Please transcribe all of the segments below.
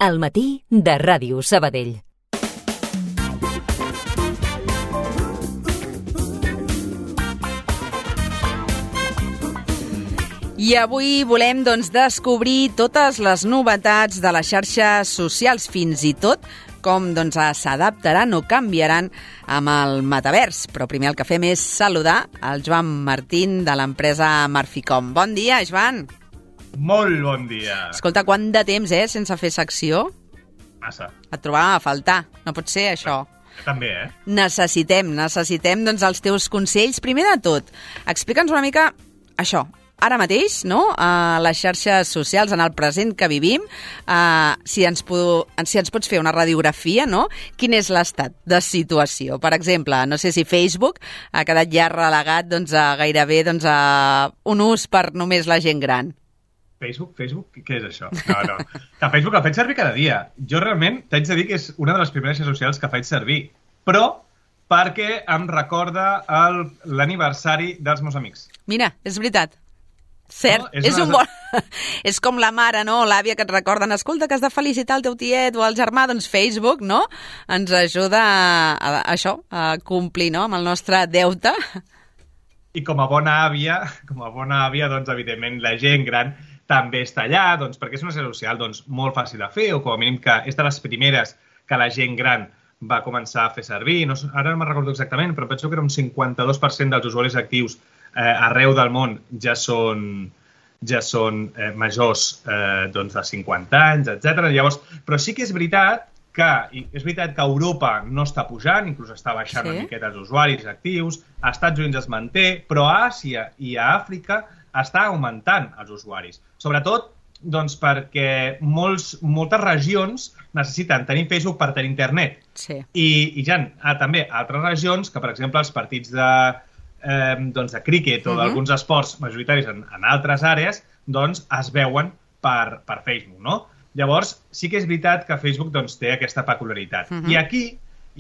Al matí de Ràdio Sabadell. I avui volem descobrir totes les novetats de les xarxes socials, fins i tot com s'adaptaran o canviaran amb el metavers. Però primer el que fem és saludar el Joan Martín de l'empresa Marficom. Bon dia, Joan. Molt bon dia. Escolta, quant de temps, sense fer secció? Massa. Et trobava a faltar. No pot ser, això. També, Necessitem els teus consells. Primer de tot, explica'ns una mica això. Ara mateix, no?, a les xarxes socials, en el present que vivim, si ens pots fer una radiografia, no?, quin és l'estat de situació. Per exemple, no sé si Facebook ha quedat ja relegat a gairebé a un ús per només la gent gran. Facebook? Què és això? No. Que Facebook el faig servir cada dia. Jo realment t'haig de dir que és una de les primeres xarxes socials que faig servir, però perquè em recorda l'aniversari dels meus amics. Mira, és veritat. Cert, no, és un bon... És com la mare, no?, l'àvia, que et recorden, escolta, que has de felicitar el teu tiet o el germà, doncs Facebook, no?, ens ajuda a complir, no?, amb el nostre deute. I com a bona àvia, doncs, evidentment, la gent gran també està allà, doncs, perquè és una xarxa social molt fàcil de fer, o com a mínim que és de les primeres que la gent gran va començar a fer servir. No, ara no me'n recordo exactament, però penso que era un 52% dels usuaris actius arreu del món ja són majors de 50 anys, etc. Llavors, però sí que és veritat que Europa no està pujant, inclús està baixant una miqueta els usuaris actius, a Estats Units es manté, però a Àsia i a Àfrica està augmentant els usuaris. Sobretot perquè moltes regions necessiten tenir Facebook per tenir internet. Sí. I hi ha també altres regions que, per exemple, els partits de críquet o d'alguns esports majoritaris en altres àrees, es veuen per Facebook, no? Llavors, sí que és veritat que Facebook té aquesta peculiaritat. I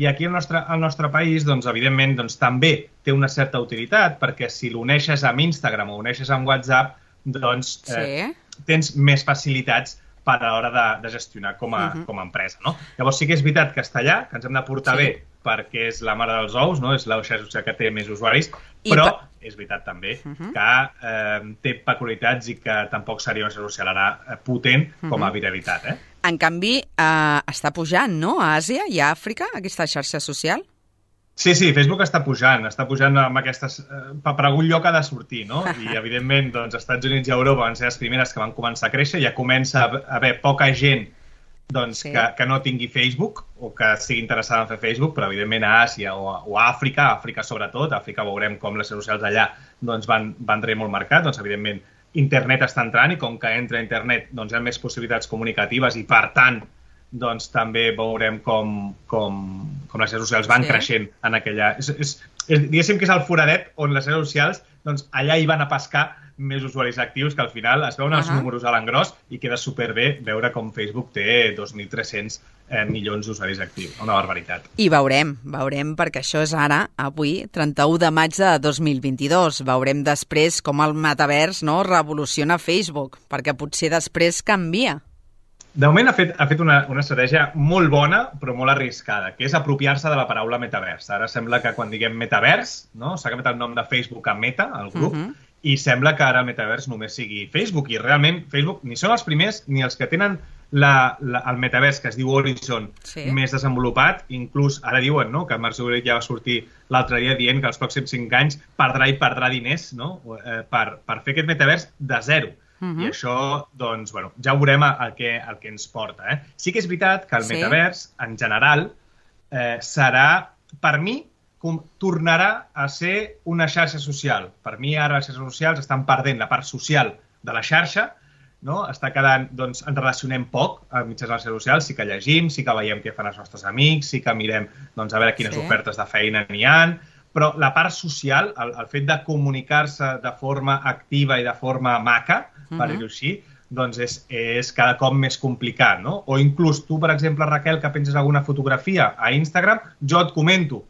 aquí al nostre país, evidentment, també té una certa utilitat, perquè si l'uneixes amb Instagram o l'uneixes amb WhatsApp, tens més facilitats per a l'hora de gestionar com a empresa, no? Llavors sí que és veritat que està allà, que ens hem de portar bé, perquè és la mare dels ous, no? És la xarxa social que té més usuaris, però és veritat també que té peculiaritats i que tampoc seria una xarxa social ara potent com a viralitat. En canvi, està pujant, no?, a Àsia i a Àfrica, aquesta xarxa social? Sí, Facebook està pujant amb aquestes... Per algun lloc ha de sortir, no? I, evidentment, Estats Units i Europa van ser les primeres que van començar a créixer, ja comença a haver poca gent que no tingui Facebook o que estigui interessada en fer Facebook, però, evidentment, a Àsia o a Àfrica sobretot, a Àfrica veurem com les xarxes socials allà van tenir molt marcat, evidentment, internet està entrant i com que entra internet hi ha més possibilitats comunicatives i, per tant, també veurem com les xarxes socials van creixent en aquella... Diguéssim que és el foradet on les xarxes socials, allà hi van a pescar més usuaris actius, que al final es veuen els números a l'engròs i queda superbé veure com Facebook té 2.300 milions d'usuaris actius. Una barbaritat. I veurem, perquè això és ara, avui, 31 de maig de 2022. Veurem després com el metavers revoluciona Facebook, perquè potser després canvia. De moment ha fet una estratègia molt bona, però molt arriscada, que és apropiar-se de la paraula metavers. Ara sembla que quan diguem metavers, s'ha canviat el nom de Facebook a Meta, el grup, i sembla que ara el metavers només sigui Facebook. I realment Facebook ni són els primers ni els que tenen el metavers, que es diu Horizon, més desenvolupat. Inclús ara diuen que Mark Zuckerberg ja va sortir l'altre dia dient que els pròxims 5 anys perdrà diners per fer aquest metavers de zero. I això, ja veurem el que ens porta. Sí que és veritat que el metavers, en general, serà, per mi, tornarà a ser una xarxa social. Per mi, ara les xarxes socials estan perdent la part social de la xarxa, està quedant, ens relacionem poc mitjans de les xarxes socials, sí que llegim, sí que veiem què fan els nostres amics, sí que mirem a veure quines ofertes de feina n'hi ha, però la part social, el fet de comunicar-se de forma activa i de forma maca, per dir-ho així, és cada cop més complicat, no? O inclús tu, per exemple, Raquel, que penses alguna fotografia a Instagram, jo et comento,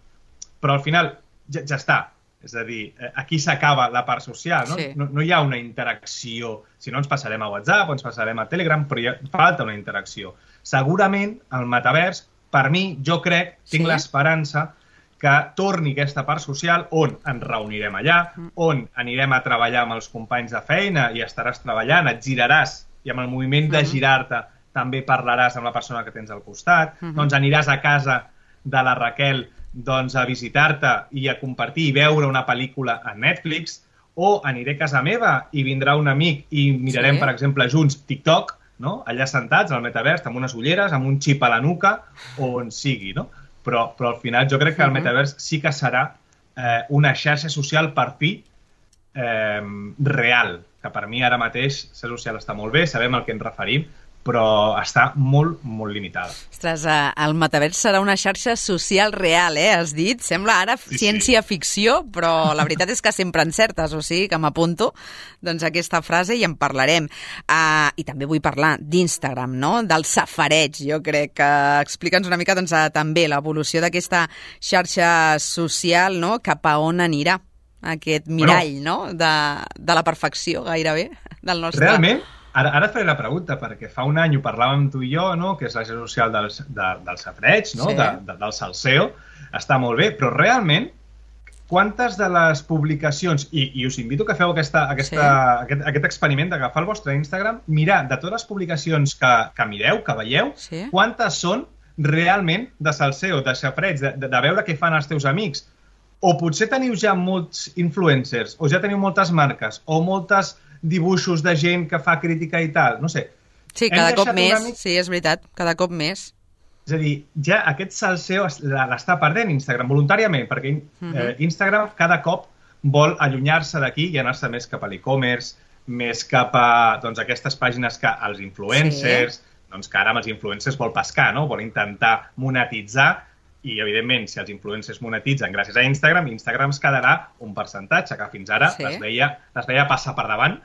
però al final ja està. És a dir, aquí s'acaba la part social, no? No hi ha una interacció. Si no, ens passarem a WhatsApp o ens passarem a Telegram, però falta una interacció. Segurament el metavers, per mi, jo crec, tinc l'esperança que torni aquesta part social on ens reunirem allà, on anirem a treballar amb els companys de feina i estaràs treballant, et giraràs i amb el moviment de girar-te també parlaràs amb la persona que tens al costat, doncs aniràs a casa de la Raquel a visitar-te i a compartir i veure una pel·lícula a Netflix, o aniré a casa meva i vindrà un amic i mirarem, per exemple, junts TikTok, allà sentats al metavers, amb unes ulleres, amb un xip a la nuca, o on sigui, no? Però al final jo crec que el metavers sí que serà una xarxa social per fi real, que per mi ara mateix xarxa social està molt bé, sabem al que ens referim, però està molt, molt limitada. Ostres, el metavers serà una xarxa social real, has dit? Sembla ara ciència-ficció, però la veritat és que sempre encertes, o sigui que m'apunto aquesta frase i en parlarem. I també vull parlar d'Instagram, del safareig, jo crec que explica'ns una mica també l'evolució d'aquesta xarxa social, cap a on anirà aquest mirall de la perfecció gairebé del nostre... Realment, ara et faré la pregunta, perquè fa un any ho parlàvem tu i jo, que és la xarxa social del safareig, del salseo, està molt bé, però realment, quantes de les publicacions, i us invito que feu aquest experiment d'agafar el vostre Instagram, mirar de totes les publicacions que mireu, que veieu, quantes són realment de salseo, de safareig, de veure què fan els teus amics. O potser teniu ja molts influencers, o ja teniu moltes marques, o moltes dibuixos de gent que fa crítica i tal, no sé. Sí, cada cop més, sí, és veritat, cada cop més. És a dir, ja aquest salseo l'està perdent Instagram voluntàriament, perquè Instagram cada cop vol allunyar-se d'aquí i anar-se més cap a l'e-commerce, més cap a aquestes pàgines que els influencers, que ara amb els influencers vol pescar, vol intentar monetitzar, i, evidentment, si els influencers monetitzen gràcies a Instagram, Instagram es quedarà un percentatge que fins ara les veia passar per davant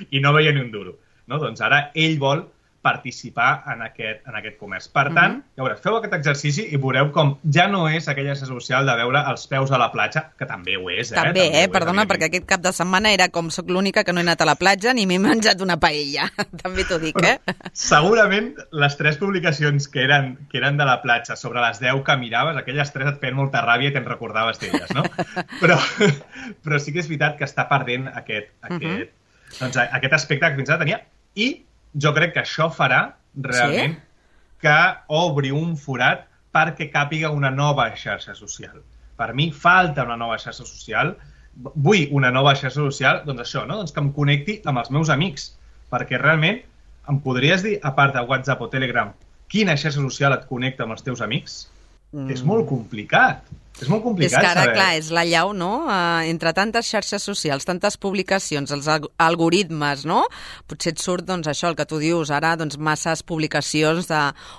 i no veia ni un duro. Doncs ara ell vol participar en aquest comerç. Per tant, feu aquest exercici i veureu com ja no és aquella xarxa social de veure els peus a la platja, que també ho és. També, perdona, perquè aquest cap de setmana era com soc l'única que no he anat a la platja ni m'he menjat una paella. També t'ho dic, Segurament les 3 publicacions que eren de la platja sobre les 10 que miraves, aquelles 3 et feien molta ràbia i te'n recordaves d'elles, no? Però sí que és veritat que està perdent aquest aspecte que fins ara tenia i jo crec que això farà realment que obri un forat perquè càpiga una nova xarxa social. Per mi falta una nova xarxa social. Vull una nova xarxa social, això, que em connecti amb els meus amics. Perquè realment em podries dir, a part de WhatsApp o Telegram, quina xarxa social et connecta amb els teus amics? És molt complicat. És molt complicat saber. És que ara, saber. clar, és la llau, no? Entre tantes xarxes socials, tantes publicacions, els algoritmes, no? Potser et surt, això, el que tu dius, ara, masses publicacions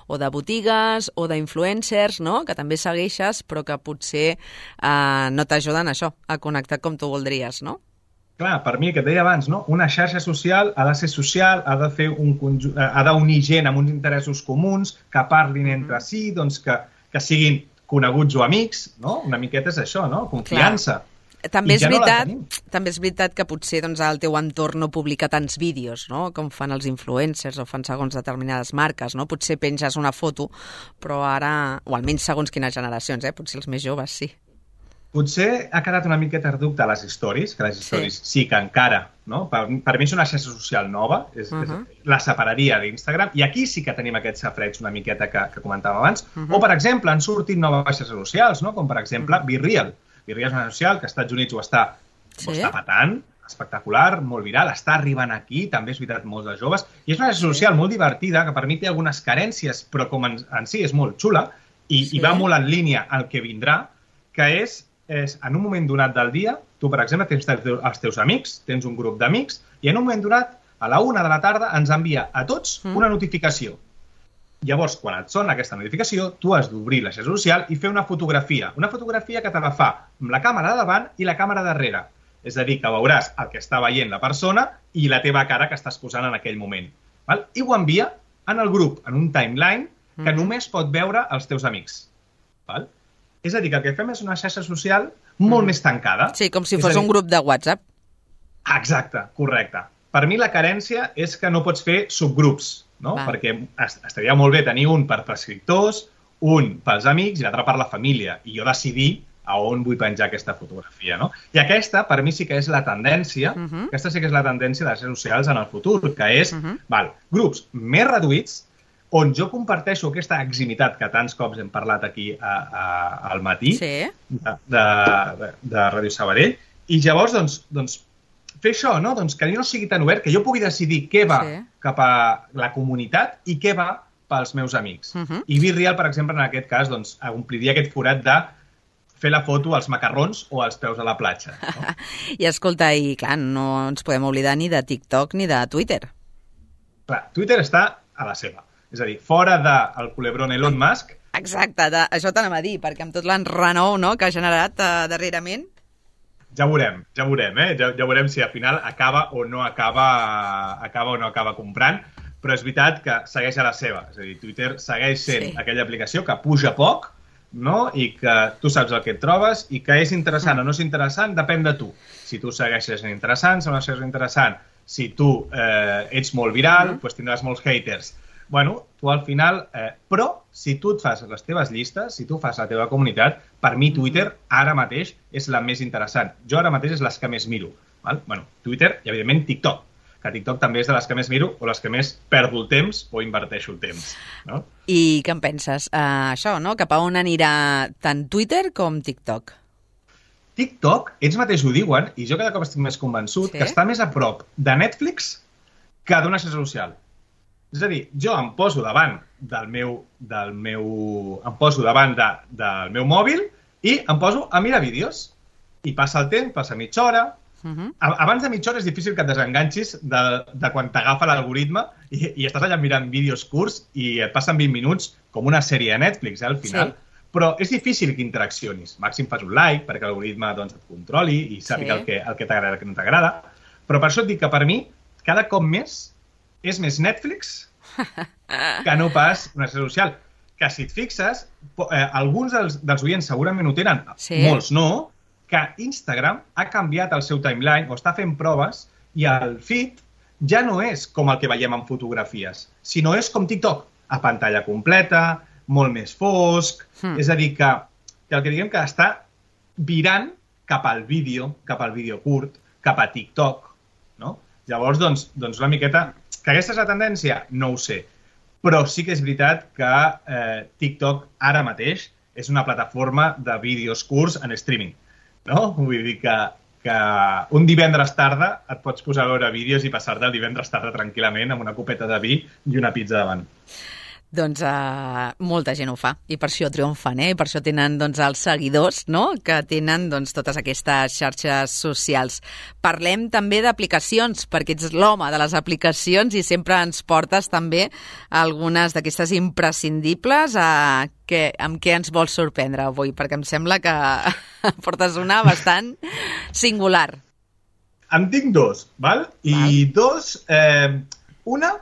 o de botigues o d'influencers, no? Que també segueixes, però que potser no t'ajuden a connectar com tu voldries, no? Clar, per mi, el que et deia abans, no? Una xarxa social ha de ser social, ha de fer ha d'unir gent amb uns interessos comuns, que parlin entre si, que siguin coneguts o amics, no? Una miqueta és això, no? Confiança. També és veritat que potser el teu entorn no publica tants vídeos, no? Com fan els influencers o fan segons determinades marques, no? Potser penges una foto, però ara, o almenys segons quines generacions, potser els més joves sí. Potser ha quedat una miqueta reducte a les stories, que les stories sí que encara, no? Per mi és una xarxa social nova, la separaria d'Instagram, i aquí sí que tenim aquest safareig una miqueta que comentàvem abans. O, per exemple, han sortit noves xarxes socials, no? Com, per exemple, BeReal. BeReal és una xarxa social que als Estats Units ho està patant, espectacular, molt viral, està arribant aquí, també és veritat, molts de joves, i és una xarxa social molt divertida, que per mi té algunes carències, però com en si és molt xula, i va molt en línia al que vindrà, que és en un moment donat del dia, tu, per exemple, tens els teus amics, tens un grup d'amics, i en un moment donat, a la 1 de la tarda, ens envia a tots una notificació. Llavors, quan et sona aquesta notificació, tu has d'obrir la xarxa social i fer una fotografia que te la fa amb la càmera de davant i la càmera darrere. És a dir, que veuràs el que està veient la persona i la teva cara que estàs posant en aquell moment. I ho envia en el grup, en un timeline, que només pot veure els teus amics. És a dir, que el que fem és una xarxa social molt més tancada. Sí, com si fos un grup de WhatsApp. Exacte, correcte. Per mi la carència és que no pots fer subgrups. no? Perquè estaria molt bé tenir un per prescriptors, un pels amics i l'altre per la família, i jo decidir a on vull penjar aquesta fotografia, no? I aquesta, per mi, sí que és la tendència, aquesta sí que és la tendència de les xarxes socials en el futur, que és, grups més reduïts, on jo comparteixo aquesta eximitat que tants cops hem parlat aquí al matí de Ràdio Sabadell, i llavors, doncs, fer això, no? Doncs que no sigui tan obert, que jo pugui decidir què va cap a la comunitat i què va pels meus amics. I BeReal, per exemple, en aquest cas, doncs, ompliria aquest forat de fer la foto als macarrons o als peus de la platja. No? I escolta, i clar, no ens podem oblidar ni de TikTok ni de Twitter. Clar, Twitter està a la seva. És a dir, fora del culebrón Elon Musk... Exacte, això t'anem a dir, perquè amb tot l'enrenou que ha generat darrerament... Ja veurem, ja veurem si al final acaba o no acaba comprant, però és veritat que segueix a la seva. És a dir, Twitter segueix sent aquella aplicació que puja poc, no? I que tu saps el que et trobes i que és interessant o no és interessant, depèn de tu. Si tu segueixes sent interessant, si no segueixes interessant, si tu ets molt viral, doncs tindràs molts haters. Bueno, tu al final... Però, si tu et fas les teves llistes, si tu fas la teva comunitat, per mi Twitter ara mateix és la més interessant. Jo ara mateix és les que més miro. Val? Bueno, Twitter i, evidentment, TikTok. Que TikTok també és de les que més miro o les que més perdo el temps o inverteixo el temps. No? I què en penses? Això, no? Cap a on anirà tant Twitter com TikTok? TikTok, ells mateix ho diuen, i jo cada cop estic més convençut, que està més a prop de Netflix que d'una xarxa social. És a dir, jo em poso davant del meu mòbil i em poso a mirar vídeos. I passa el temps, passa mitja hora. Abans de mitja hora és difícil que et desenganxis de quan t'agafa l'algoritme i estàs allà mirant vídeos curts i et passen 20 minuts com una sèrie de Netflix, al final. Però és difícil que interaccionis. Màxim fas un like perquè l'algoritme et controli i sàpiga el que t'agrada i el que no t'agrada. Però per això et dic que per mi, cada cop més és més Netflix que no pas una xarxa social. Que si et fixes, alguns dels oients segurament ho tenen, molts no, que Instagram ha canviat el seu timeline o està fent proves i el feed ja no és com el que veiem en fotografies, sinó és com TikTok, a pantalla completa, molt més fosc, és a dir, que el que diguem que està virant cap al vídeo curt, cap a TikTok, no? Llavors, doncs una miqueta... Que aquesta és la tendència? No ho sé. Però sí que és veritat que TikTok ara mateix és una plataforma de vídeos curts en streaming, no? Vull dir que un divendres tarda et pots posar a veure vídeos i passar-te el divendres tarda tranquil·lament amb una copeta de vi i una pizza davant. Doncs molta gent ho fa i per això triomfen, i per això tenen els seguidors, no? Que tenen totes aquestes xarxes socials. Parlem també d'aplicacions, perquè ets l'home de les aplicacions i sempre ens portes també algunes d'aquestes imprescindibles. Amb què ens vols sorprendre avui? Perquè em sembla que portes una bastant singular. En tinc dos, val? I dos, una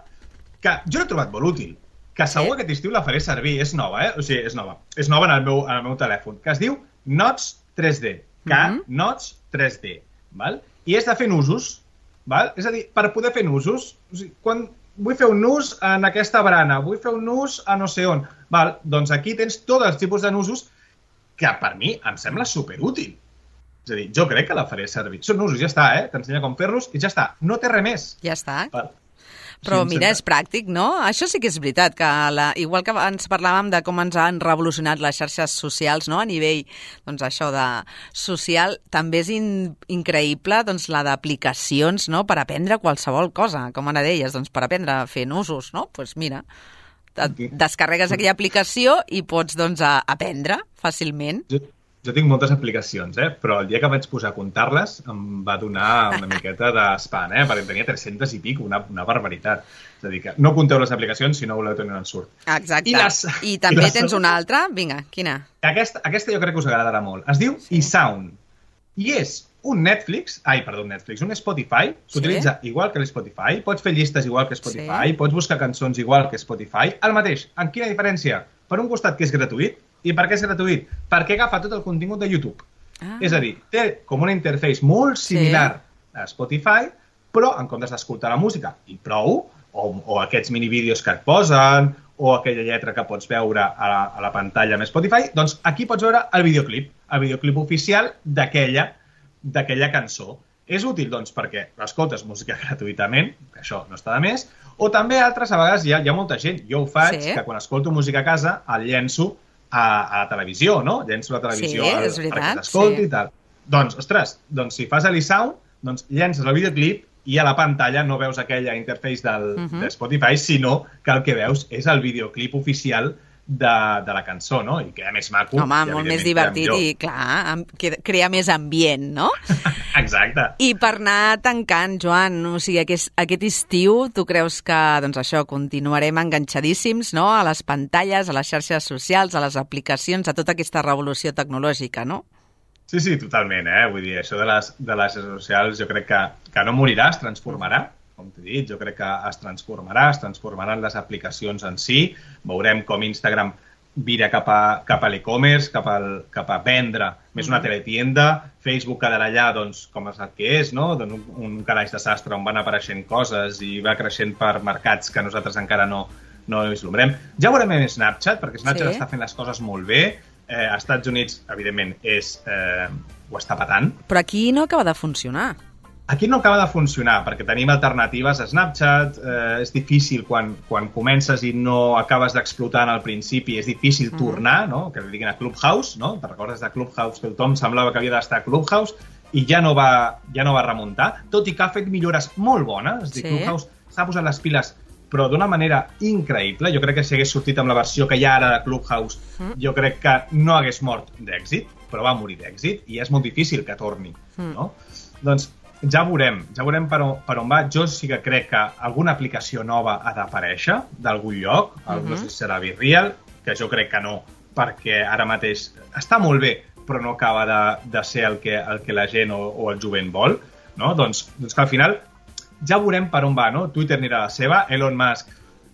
que jo l'he trobat molt útil, que segur aquest estiu la faré servir. És nova, O sigui, és nova. És nova en el meu telèfon, que es diu Notes 3D. Notes 3D. Val? I és de fer nusos. Val? És a dir, per poder fer nusos, o sigui, quan vull fer un nus en aquesta barana, vull fer un nus a no sé on, val? Doncs aquí tens tots els tipus de nusos que per mi em sembla superútil. És a dir, jo crec que la faré servir. Són nusos, ja està, t'ensenya com fer-los i ja està. No té res més. Ja està. Val? Però mira, és pràctic, no? Això sí que és veritat, que igual que ens parlàvem de com ens han revolucionat les xarxes socials, no? A nivell, això de social, també és increïble, la d'aplicacions, no? Per aprendre qualsevol cosa, com ara deies, per aprendre a fer nusos, no? Doncs mira, descarregues aquella aplicació i pots, aprendre fàcilment. Jo tinc moltes aplicacions, però el dia que vaig posar a comptar-les em va donar una miqueta d'espant, perquè en tenia 300 i pic, una barbaritat. És a dir, que no compteu les aplicacions si no voleu tenir un ensurt. Exacte. I també tens una altra? Vinga, quina? Aquesta jo crec que us agradarà molt. Es diu eSound. I és un un Spotify. S'utilitza igual que l'Spotify. Pots fer llistes igual que Spotify. Pots buscar cançons igual que Spotify. El mateix. En quina diferència? Per un costat que és gratuït. I per què és gratuït? Perquè agafa tot el contingut de YouTube. És a dir, té com una interface molt similar a Spotify, però en comptes d'escoltar la música i prou, o aquests minivídeos que et posen, o aquella lletra que pots veure a la pantalla amb Spotify, doncs aquí pots veure el videoclip oficial d'aquella cançó. És útil, doncs, perquè escoltes música gratuïtament, que això no està de més, o també altres, a vegades hi ha molta gent. Jo ho faig, que quan escolto música a casa el llenço a la televisió, no? Llenço la televisió perquè s'escolti i tal. Doncs, ostres, si fas l'eSound, doncs llences el videoclip i a la pantalla no veus aquella interface de Spotify, sinó que el que veus és el videoclip oficial de la cançó, no? I queda més maco. Home, molt més divertit i, clar, crea més ambient, no? Exacte. I per anar tancant, Joan, o sigui, aquest estiu, tu creus que, doncs això, continuarem enganxadíssims, no?, a les pantalles, a les xarxes socials, a les aplicacions, a tota aquesta revolució tecnològica, no? Sí, totalment, Vull dir, això de les xarxes socials jo crec que no morirà, es transformarà, com t'he dit, jo crec que es transformaran les aplicacions en si, veurem com Instagram vira cap a l'e-commerce, cap a vendre més una teletienda, Facebook quedarà allà, doncs, com és el que és, no? Un calaix de sastre on van apareixent coses i va creixent per mercats que nosaltres encara no vislumbrem. Ja veurem amb Snapchat, perquè Snapchat està fent les coses molt bé. Als Estats Units, evidentment, ho està patant. Però aquí no acaba de funcionar. Aquí no acaba de funcionar, perquè tenim alternatives a Snapchat, és difícil quan comences i no acabes d'explotar al principi, és difícil tornar, no? Que li diguin a Clubhouse, no? Te'n recordes de Clubhouse, que tothom semblava que havia d'estar a Clubhouse i ja no va remuntar, tot i que ha fet millores molt bones. És a dir, Clubhouse s'ha posat les piles però d'una manera increïble. Jo crec que si hagués sortit amb la versió que hi ha ara de Clubhouse, jo crec que no hagués mort d'èxit, però va morir d'èxit i és molt difícil que torni, no? Doncs ja veurem per on va. Jo sí que crec que alguna aplicació nova ha d'aparèixer d'algun lloc, no sé si serà BeReal, que jo crec que no, perquè ara mateix està molt bé, però no acaba de ser el que la gent o el jovent vol, no? Doncs que al final ja veurem per on va, no? Twitter anirà a la seva, Elon Musk,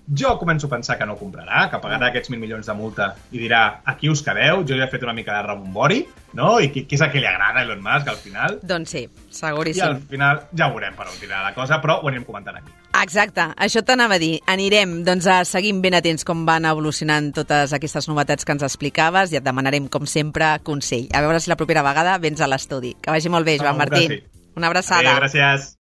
jo començo a pensar que no comprarà, que pagarà aquests 1.000 milions de multa i dirà, aquí us quedeu, jo ja he fet una mica de rebombori, no? I què és el que li agrada a Elon Musk al final? Doncs sí, seguríssim. I al final ja veurem per on tirarà la cosa, però ho anirem comentant aquí. Exacte, això t'anava a dir. Anirem, doncs, seguint ben atents com van evolucionant totes aquestes novetats que ens explicaves i et demanarem, com sempre, consell. A veure si la propera vegada vens a l'estudi. Que vagi molt bé, Joan Martí. Una abraçada. Gràcies.